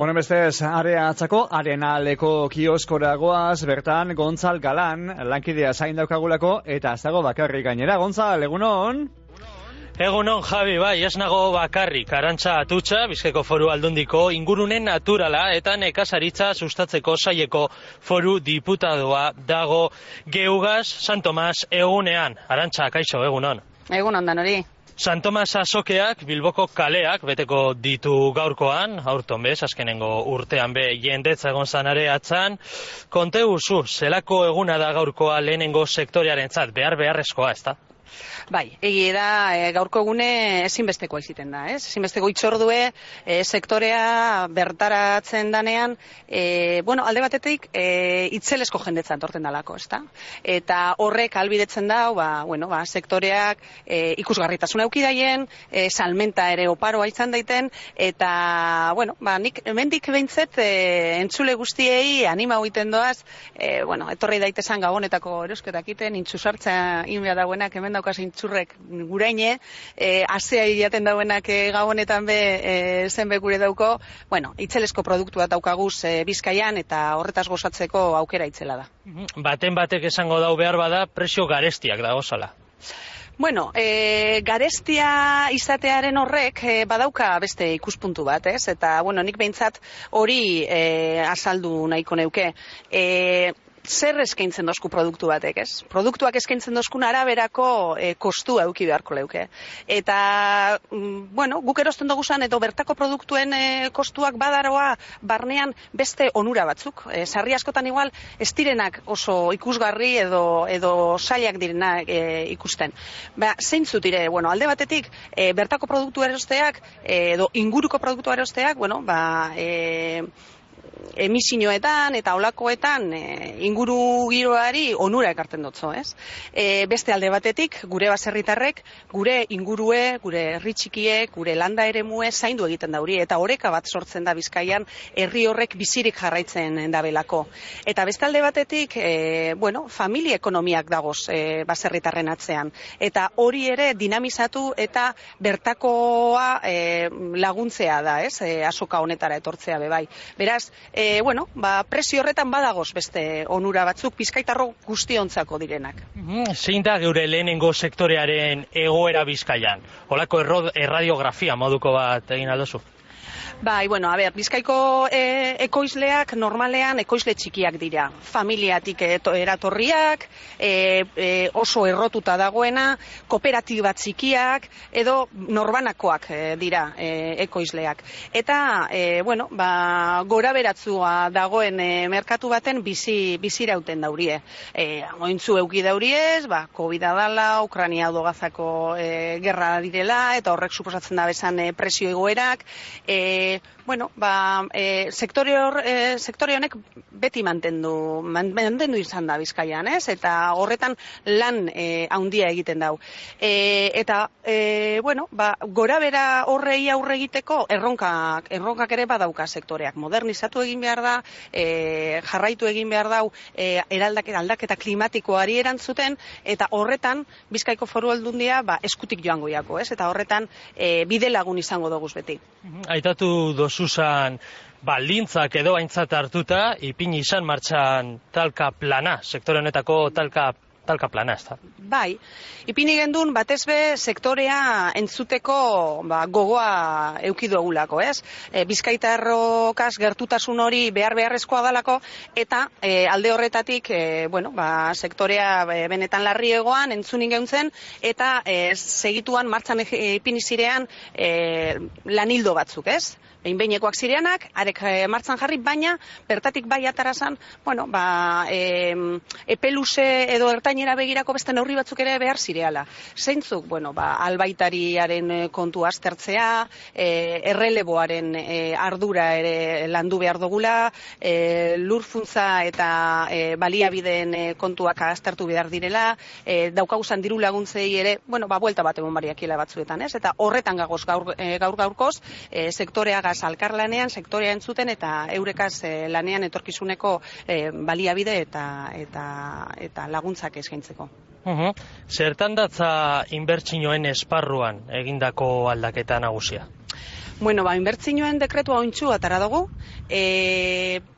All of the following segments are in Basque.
Honen bestez, area atzako, arenaleko kioskoragoaz, bertan, Gontzal Galan, lankidea zain daukagulako, eta ez dago bakarrik gainera. Gontzal, egunon? Egunon, Javi, bai, ez nago bakarrik. Arantxa Atutxa, Bizkaiko Foru Aldundiko ingurunen naturala eta nekazaritza sustatzeko saileko foru diputadoa dago Geugaz San Tomas egunean. Arantxa, kaixo, egunon. Egunon danori. San Tomas azokeak Bilboko kaleak beteko ditu gaurkoan, aurton bez, azkenengo urtean be jendetza egon zanare atzan. Konte guzu, zelako eguna da gaurkoa lehenengo sektorearentzat, beharrezkoa, ez da? Bai, egia da gaurko egune ezinbestekoa iziten da, ez? Ezinbesteko itzordue sektorea bertaratzen danean, alde batetik itzelesko jendetza torten dalako, ez da? Eta horrek albidetzen dau, sektoreak ikusgarritasuna eukidaien, salmenta ere oparoa izan daiten, eta, nik hemendik behintzet entzule guztiei anima hoiten doaz, etorri daitezan gabonetako erosketak iten, intxusartza inbea dagoenak hemen daukaz intxurrek guraine, azea jaten dauenak gabonetan be zenbe gure dauko, itzelesko produktua daukaguz Bizkaian eta horretaz gozatzeko aukera itzela da. Baten batek esango dau behar bada, presio garestiak dagozala. Garestia izatearen horrek badauka beste ikuspuntu bat, ez? Eta, nik behintzat hori azaldu nahiko neuke. Zer eskaintzen dozku produktu batek, ez? Produktuak eskaintzen dozkun araberako kostua eduki beharko leuke. Eta, guk erosten duguzan edo bertako produktuen kostuak badaroa barnean beste onura batzuk. Sarri askotan igual, ez direnak oso ikusgarri edo sailak direnak ikusten. Zeintzu dire, alde batetik, bertako produktu erosteak edo inguruko produktu erosteak, emisioetan eta olakoetan inguru giroari onura ekarten dotzo, ez? Beste alde batetik, gure baserritarrek, gure ingurue, gure herri txikiek, gure landa eremue zaindu egiten dauri, eta oreka bat sortzen da Bizkaian, herri horrek bizirik jarraitzen dabelako. Eta beste alde batetik, familia ekonomiak dagoz baserritarren atzean. Eta hori ere dinamizatu eta bertakoa laguntzea da, ez? Azoka honetara etortzea bebai. Beraz, presio horretan badagoz beste onura batzuk bizkaitarro guztiontzako direnak. Zein da geure lehenengo sektorearen egoera Bizkaian? Holako erradiografia moduko bat egin aldozu? Bizkaiko ekoizleak normalean ekoizle txikiak dira. Familiatik eratorriak, oso errotuta dagoena, kooperatiba txikiak, edo norbanakoak dira ekoizleak. Eta, gora beratzua dagoen merkatu baten bizirauten daurie. Ointzu euki dauriez, COVID-a dala, Ukrania odogazako gerra direla, eta horrek suposatzen da bezan presio egoerak, sektore honek beti mantendu izan da Bizkaian, ez? Eta horretan lan handia egiten dau. Gora bera horrei aurre egiteko erronkak ere badauka sektoreak. Modernizatu egin behar da, jarraitu egin behar dau aldaketa klimatikoari erantzuten, eta horretan Bizkaiko Foru Aldundia eskutik joango jako, ez? Eta horretan bide lagun izango doguz beti. Aitatu dozuzan baldintzak edo aintzat hartuta, ipini izan martxan talka plana, sektore honetako talka plana, ez da? Bai, ipini gendun batez be sektorea entzuteko gogoa eukidu egulako, ez? Bizkaitarrokaz gertutasun hori beharrezkoa dalako, eta alde horretatik, sektorea benetan larri egoan entzunin geuntzen, eta segituan martxan ipini zirean lanildo batzuk, ez? Behin-behinekoak zireanak, arek martzan jarri, baina bertatik bai atarazan, epeluze edo ertainera begirako beste neurri batzuk ere behar zireala. Zeintzuk, albaitariaren kontu aztertzea, erreleboaren ardura ere landu behar dugula, lurfuntza eta baliabideen kontuak aztertu behar direla, daukaguzan diru laguntzei ere, buelta bat egon bariakila batzuetan, ez? Eta horretan gagoz gaurkoz, sektorea alkarlanean, sektorea entzuten eta eurekaz lanean etorkizuneko baliabide eta laguntzak eskaintzeko. Zertan datza inbertsioen esparruan egindako aldaketa nagusia? Bueno, inbertsioen dekretua ointxu atara dugu.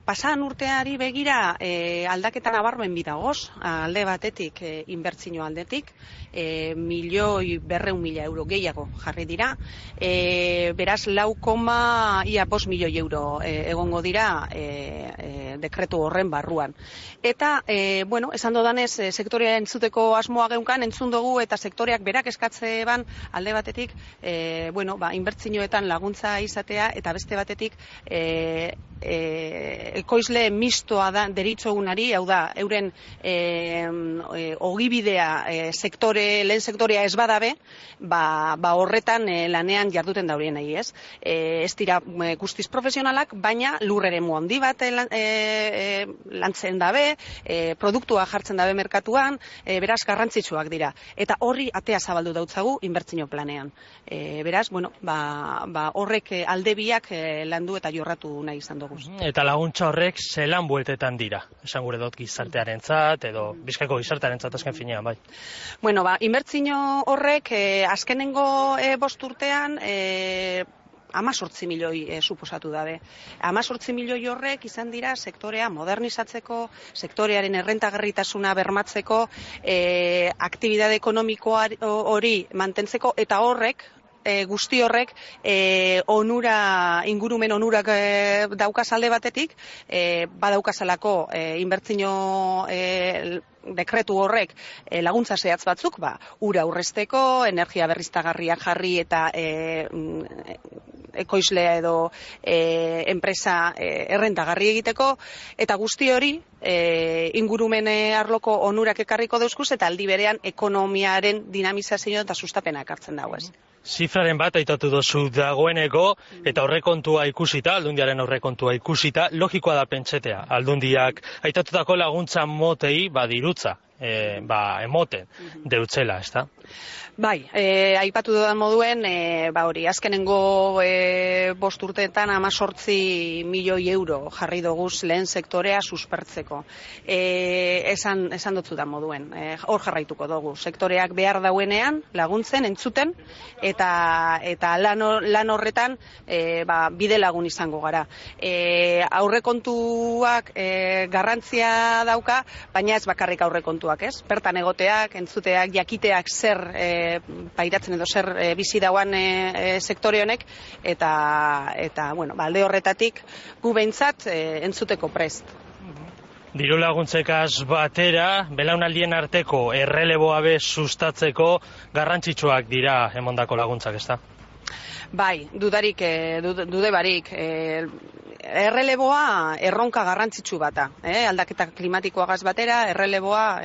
Pasan urteari begira aldaketa nabarmen bidagoz, alde batetik inbertsio aldetik, 1.200.000 euro gehiago jarri dira, beraz 4,5 milioi euro egongo dira dekretu horren barruan. Eta, esan dodanez, sektorea entzuteko asmoa geunkan, entzun dugu eta sektoreak berak eskatze ban alde batetik, inbertsioetan laguntza izatea eta beste batetik ekoizle mistoa da deritzogunari, hau da, euren ogibidea lehen sektorea ez badabe, horretan lanean jarduten daurien nahi, ez? Ez dira guztiz profesionalak, baina lurreremu handi bat lantzen dabe, produktua jartzen dabe merkatuan, beraz garrantzitsuak dira. Eta horri atea zabaldu dautzagu inbertsio planean. Beraz, horrek alde biak landu eta jorratu nahi izan dugu. Eta laguntza horrek zelan bueltetan dira? Esan gure dut gizartearentzat edo Bizkaiko gizartearentzat azken finean, bai. Inbertsio horrek azkenengo 5 urtean 18 milioi suposatu dabe. 18 milioi horrek izan dira sektorea modernizatzeko, sektorearen errentagarritasuna bermatzeko, aktibitate ekonomikoa hori mantentzeko, eta horrek, guzti horrek ingurumen onurak daukaz alde batetik, badaukazalako inbertsio dekretu horrek laguntza zehatz batzuk, ura aurrezteko, energia berriztagarriak jarri eta ekoizlea edo enpresa errentagarri egiteko, eta guzti hori ingurumen arloko onurak ekarriko dauzkuz eta aldi berean ekonomiaren dinamizazio eta sustapena ekartzen dago, ez. Zifraren bat aitatu dozu dagoeneko, eta aurrekontua ikusita, Aldundiaren aurrekontua ikusita, logikoa da pentsetea. Aldundiak aitatutako laguntza motei dirutza, emoten deutzela, ez da? Bai, aipatu dudan moduen, azkenengo 5 urteetan 18 milioi euro jarri doguz lehen sektorea suspertzeko. Esan dutzudan moduen, hor jarraituko dugu. Sektoreak behar dauenean laguntzen, entzuten, eta lan horretan bide lagun izango gara. Aurrekontuak garrantzia dauka, baina ez bakarrik aurrekontuak, ez? Bertan egoteak, entzuteak, jakiteak zer pairatzen edo zer bizi dauan sektore honek, eta alde horretatik gu behintzat entzuteko prest. Diru laguntzekaz batera, belaunaldien arteko erreleboa sustatzeko garrantzitsuak dira emondako laguntzak, ezta? Bai, dude barik. Erreleboa erronka garrantzitsu bata, aldaketa klimatikoagaz batera, erreleboa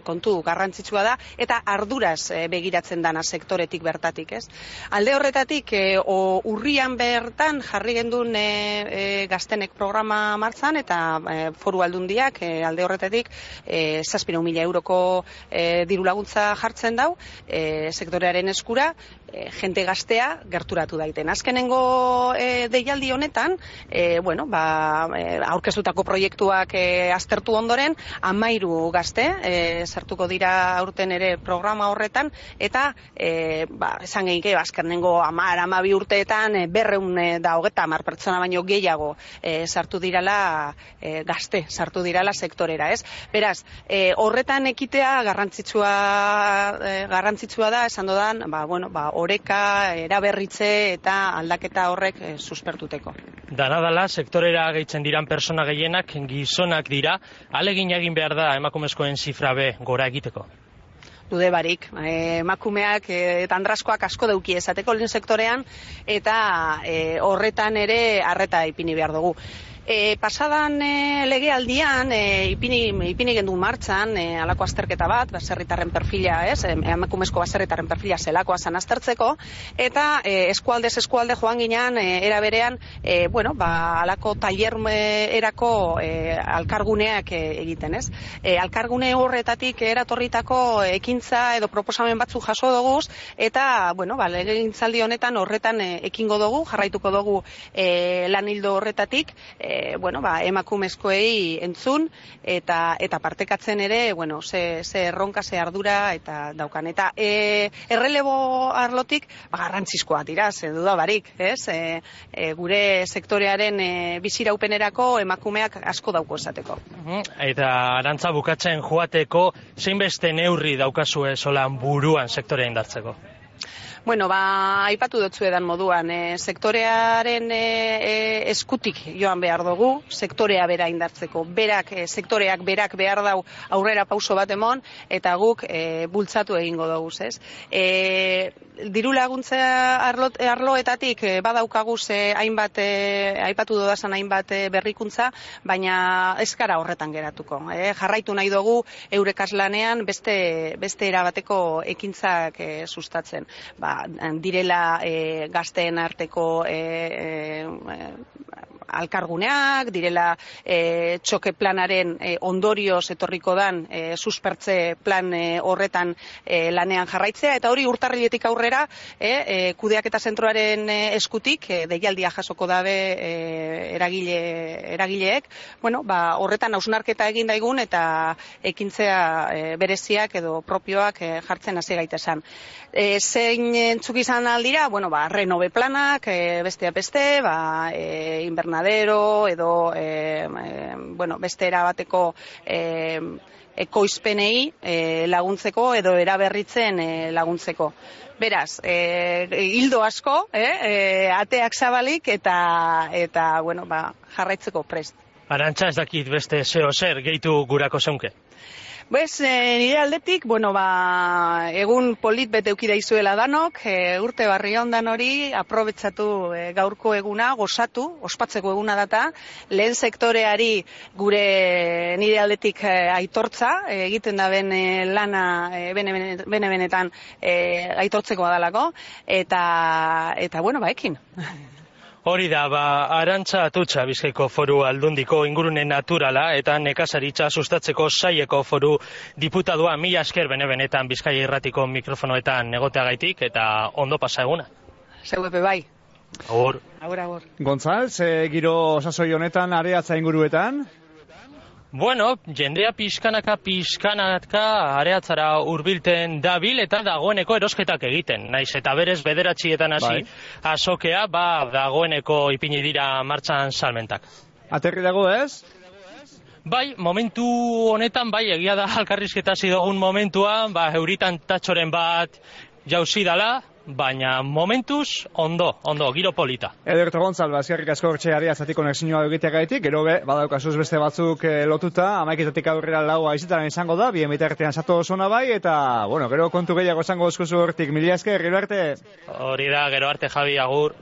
kontu garrantzitsua da, eta arduraz begiratzen dana sektoretik bertatik, ez? Alde horretatik, urrian bertan jarri gendun gaztenek programa martzan, eta foru aldundiak alde horretatik 7.000 euroko diru laguntza jartzen dau, sektorearen eskura, jente gaztea gerturatu daiten. Azkenengo deialdi honetan, aurkeztutako proiektuak aztertu ondoren, 13 gazte sartuko dira aurten ere programa horretan, eta esan gehike, azkenengo 10-12 urteetan 230 pertsona baino gehiago sartu dirala gazte, sartu dirala sektorera, ez? Beraz, horretan ekitea garrantzitsua da, esan dodan, oreka, eraberritze eta aldaketa horrek suspertuteko. Danadala, sektorera gehitzen diran persona gehienak gizonak dira, alegin egin behar da emakumezkoen zifra be gora egiteko? Dude barik, emakumeak eta andraskoak asko dauki esateko lehen sektorean, eta horretan ere arreta ipini behar dugu. Pasadan legealdian ipini gendu martxan alako azterketa bat, baserritarren perfila, emakumezko baserritarren perfila zelakoa zan aztertzeko, eta eskualdez eskualde joan ginean era berean, alako tailer erako alkarguneak egiten, ez? Alkargune horretatik eratorritako ekintza edo proposamen batzu jaso dugu, eta legegintzaldi honetan horretan ekingo dugu, jarraituko dugu lan hildo horretatik, emakumezkoei entzun eta partekatzen ere, ze erronka, ze ardura eta daukan. Eta errelebo arlotik garrantzizkoa dira, ze duda barik, ez? Gure sektorearen biziraupenerako emakumeak asko dauko esateko. Eta Arantza, bukatzen joateko, zein beste neurri daukazue solan buruan sektorea indartzeko? Aipatu dutzu edan moduan, sektorearen eskutik joan behar dugu, sektorea bera indartzeko. Sektoreak berak behar dau aurrera pauso bat emon, eta guk bultzatu egingo dugu, ez? Diru laguntza arloetatik badaukaguz hainbat, aipatu dudazan hainbat berrikuntza, baina ez gara horretan geratuko. Jarraitu nahi dugu eurekaslanean beste erabateko ekintzak sustatzen. Direla gazteen arteko alkarguneak, direla txoke planaren ondorioz etorriko dan suspertze plan horretan lanean jarraitzea, eta hori urtarriletik aurrera kudeaketa zentroaren eskutik deialdia jasoko dabe eragileek, horretan hausnarketa egin daigun eta ekintzea bereziak edo propioak jartzen hasi gaitezen. Zein entzuk izan aldira, renove planak, besteak beste, invernadero edo beste erabateko ekoizpenei laguntzeko edo eraberritzen laguntzeko. Beraz, hildo asko, ateak zabalik eta jarraitzeko prest. Arantza, ez dakit beste zer gehitu gurako zeunke? Nire aldetik, egun polit bete eukida izuela danok, urte barri ondan hori, aprobetsatu gaurko eguna, gozatu, ospatzeko eguna data, lehen sektoreari gure nire aldetik aitortza, egiten da ben lana bene-benetan aitortzeko badalako, eta ekin. Hori da, Arantza Atutxa Bizkaiko Foru Aldundiko ingurune naturala eta nekazaritza sustatzeko saieko foru diputadua. Mila esker bene-benetan Bizkaia Irratiko mikrofonoetan egoteagaitik eta ondo pasa eguna. Zeuepe bai. Agur. Agur. Gontzal, giro sasoi honetan areatza inguruetan? Jendea pixkanaka areatzara hurbilten dabil eta dagoeneko erosketak egiten. Naiz eta berez bederatzietan hasi azokea, dagoeneko ipini dira martxan salmentak. Aterri dago ez? Momentu honetan, egia da alkarrizketa hasi dugun momentuan, euritan tatxoren bat jauzi dala, baina momentuz ondo, giro polita. Ederto Gontzal, eskerrik asko hortxe areatzatik konexioa egiteagaitik, gero badaukazuz beste batzuk lotuta, 11:00 aurrera laua izetan izango da, bien bitartean sato zona bai, eta, gero kontu gehiago izango eskuzu hortik, mila esker, gero arte. Hori da, gero arte, Javi, agur.